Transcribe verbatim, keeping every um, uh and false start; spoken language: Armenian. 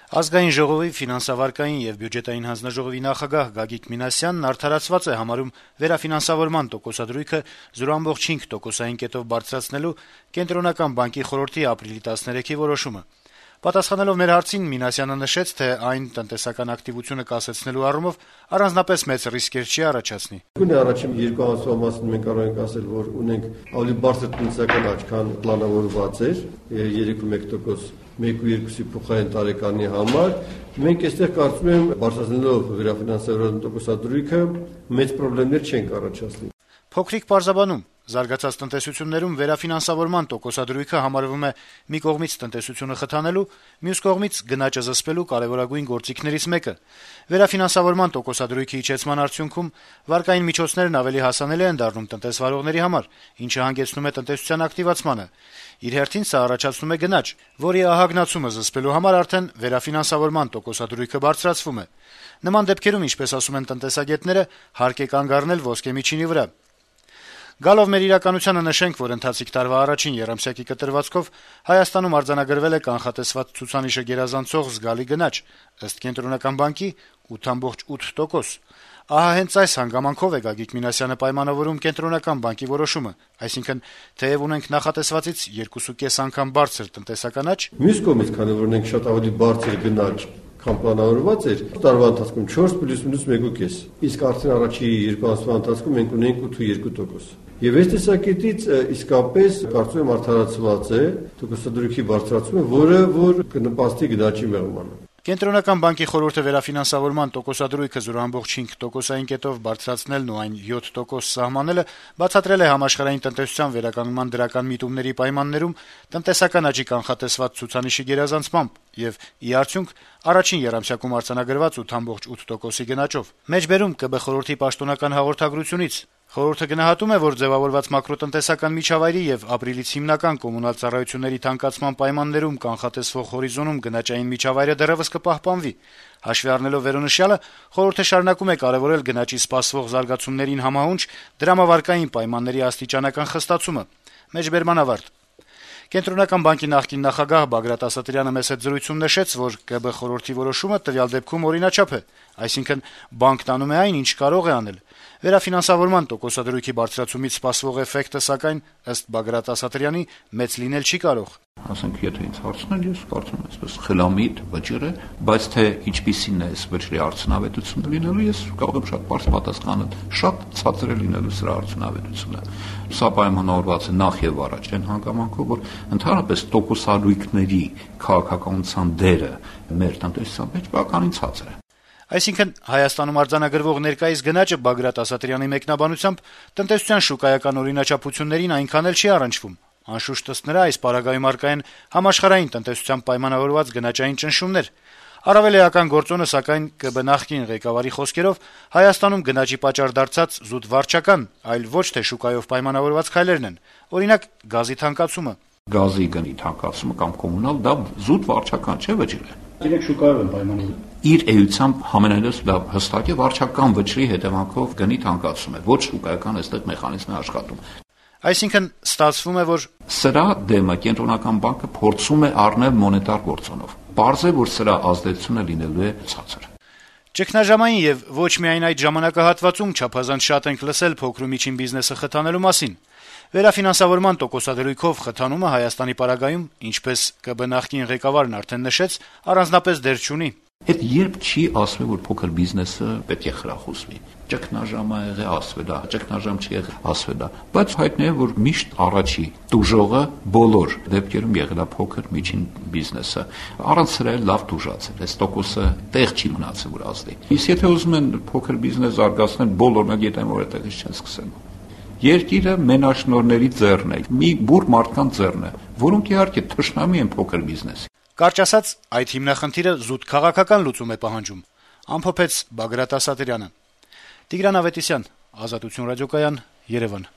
Ազգային ժողովի ֆինանսավարկային եւ բյուջետային հանձնաժողովի նախագահ Գագիկ Մինասյանն արդարացված է համարում վերաֆինանսավորման տոկոսադրույքը զրո բացառությամբ հինգ տոկոսային կետով բարձրացնելու Կենտրոնական բանկի խորհրդի ապրիլի տասներեքի որոշումը։ Պատասխանելով մեր հարցին Մինասյանը նշեց, թե այն տնտեսական ակտիվությունը կասեցնելու առումով առանձնապես մեծ ռիսկեր չի առաջացնի։ Գույն առաջին երկու ամսվա մասին մենք կարող ենք ասել, որ ունենք ավելի բարձր տնտեսական աճ, քան պլանավորված էր, երեք կողմը մեկ տոկոս մեկ ու երկուսի փոխային տարեկանի համար։ Մենք այստեղ կարծում եմ, բարձրացնելով վերաֆինանսավորման տոկոսադրույքը մեծ խնդիրներ չենք առաջացնի։ Փոքրիկ պարզաբանում զարգացած տնտեսություններում վերաֆինանսավորման տոկոսադրույքը համարվում է մի կողմից տնտեսությունը խթանելու, մյուս կողմից գնաճը զսպելու կարևորագույն գործիքներից մեկը։ Վերաֆինանսավորման տոկոսադրույքի իջեցման արդյունքում վարկային միջոցներն ավելի հասանելի են դառնում տնտեսվարողների համար, ինչը հանգեցնում է տնտեսության ակտիվացմանը։ Իր հերթին սա առաջացնում է գնաճ, որի ահագնացումը զսպելու համար արդեն վերաֆինանսավորման տոկոսադրույքը բարձրացվում է։ Նման դեպքերում, ինչպես ասում են տնտեսագետները, հարկ է կանգ առնել ոսկե միջինի վրա։ Գալով մեր իրականությանը նշենք, որ ընթացիկ տարվա առաջին եռամսյակի կտրվածքով Հայաստանում արձանագրվել է կանխատեսված ցուցանիշը գերազանցող զգալի գնաճ, ըստ Կենտրոնական բանկի ութ ամբողջ ութ տոկոս։ Ահա հենց այս հանգամանքով է Գագիկ Մինասյանը պայմանավորում Կենտրոնական բանկի որոշումը, այսինքն թեև ունենք նախատեսվածից երկու կես անգամ բարձր տնտեսական աճ, մյուս կողմից, քանի որ ունենք շատ ավելի բարձր գնաճ, քան պլանավորված էր, տարվա ընթացքում չորս պլյուս մինուս մեկ ու կես, իսկ արդեն առաջի երկու ամսվա ընթացքում մենք ունենք ութ ու երկու տոկոս։ Եվ այս տեսակետից իսկապես կարծում եմ արդարացված է տոկոսադրույքի բարձրացումը, որը որ կնպաստի գնաճի մեղմանը։ Կենտրոնական բանկի խորհուրդը վերաֆինանսավորման տոկոսադրույքը զրո բացառությամբ հինգ տոկոսային կետով բարձրացնելն ու այն յոթ տոկոս սահմանելը բացատրել է համաշխարհային տնտեսության վերականգնման դրական միտումների պայմաններում տնտեսական աճի կանխատեսված ցուցանիշի գերազանցմամբ եւ ի արդյունք առաջին եռամսյակում արձանագրված ութ ամբողջ ութ տոկոսի գնաճով։ Մեջբերում ԿԲ խորհրդի պաշտոնական հաղորդագրությունից խորհուրդը գնահատում է, որ ձևավորված մակրոտնտեսական միջավայրի եւ ապրիլից հիմնական կոմունալ ծառայությունների թանկացման պայմաններում կանխատեսվող հորիզոնում գնաճային միջավայրը դեռեւս կպահպանվի։ Հաշվի առնելով վերոնշյալը, խորհուրդը շարունակում է կարեւորել գնաճի սպասվող զարգացումներին համահունչ դրամավարկային պայմանների աստիճանական խստացումը։ Մեջբերման ավարտ։ Կենտրոնական բանկի նախկին նախագահ Բագրատ Ասատրյանը մեծ հետ զրույցում նշեց, որ ԿԲ խորհրդի որոշումը տվյալ դեպքում օրինաչափ է, այսինքն բանկն անում է այն, ինչ կարող է անել։ Վերաֆինանսավորման տոկոսադրույքի բարձրացումից սպասվող էֆեկտը, սակայն, ըստ Բագրատ Ասատրյանի, մեծ լինել չի կարող։ Ասենք, եթե ինձ հարցնել, ես կարծում եմ, այսպես խելամիտ վճիռ է, բայց թե ինչպիսին է այս վճռի արդյունավետությունը լինելու, ես կարող եմ շատ բարձ պատասխանել, շատ ցածր է լինելու սրա արդյունավետությունը։ Սա պայմանավորված է նախ եւ առաջ այն հանգամանքով, որ ընդհանրապես տոկոսադրույքների քաղաքականության դերը մեր տնտեսության մեջ բավականին ցածր է։ Այսինքն Հայաստանում արձանագրվող ներկայիս գնաճը Բագրատ Ասատրյանի մեկնաբանությամբ տնտեսության շուկայական օրինաչափություններին այնքան էլ չի առնչվում։ Անշուշտ ըստ նրա այս պարագայում առկա են համաշխարհային տնտեսության պայմանավորված գնաճային ճնշումներ։ Առավել էական գործոնը, սակայն, ԿԲ նախկին ղեկավարի խոսքերով Հայաստանում գնաճի պատճառ դարձած զուտ վարչական, այլ ոչ թե շուկայով պայմանավորված քայլերն են, օրինակ գազի թանկացումը։ Գազի գնի թանկացումը կամ կոմունալ դա զուտ վարչական չէ, վճիռ է։ Իրենք շուկայով են պայմանավորվում։ Իր էությամբ համենայնպես դա հստակ է վարչական վճռի հետևանքով գնի թանկացում է, ոչ շուկայական այստեղ մեխանիզմ է աշխատում։ Այսինքն ստացվում է, որ սրա դեմը Կենտրոնական բանկը փորձում է առնել մոնետար գործոնով։ Պարզ է, որ սրա ազդեցությունը լինելու է ցածր։ Ճգնաժամային եւ ոչ միայն այդ ժամանակահատվածում չափազանց շատ ենք լսել փոքր ու միջին բիզնեսը խթանելու մասին։ Վերաֆինանսավորման տոկոսադրույքով խթանումը Հայաստանի պարագայում, ինչպես ԿԲ նախկին ղեկավարն արդեն նշեց, առանձնապես դեր չունի։ Հետ երբ չի ասվել, որ փոքր բիզնեսը պետք է խրախուսվի։ Ճգնաժամ ա եղել ասվել, ճգնաժամ չի եղել ասվել, բայց հայտնի է, որ միշտ առաջի տուժողը բոլոր դեպքերում եղել է փոքր միջին բիզնեսը։ Առանց սրա լավ տուժացել, այս տոկոսը տեղ չի մնացել, որ ազդի։ Իսկ եթե ուզում են փոքր բիզնես զարգացնել, բոլորն էլ գիտեն, որ այդտեղից չեն սկսել։ Երկիրը մենաշնորհների ձեռն է, մի բուռ մարդկանց ձեռն է, որոնք իհարկե թշնամի են փոքր բիզնեսի։ Կարճ ասած, այդ հիմնախնդիրը զուտ քաղաքական լուծում է պահանջում, ամփոփեց Բագրատ Ասատրյանը։ Տիգրան Ավետիսյան, Ազատություն ռադիոկայան, Երևան։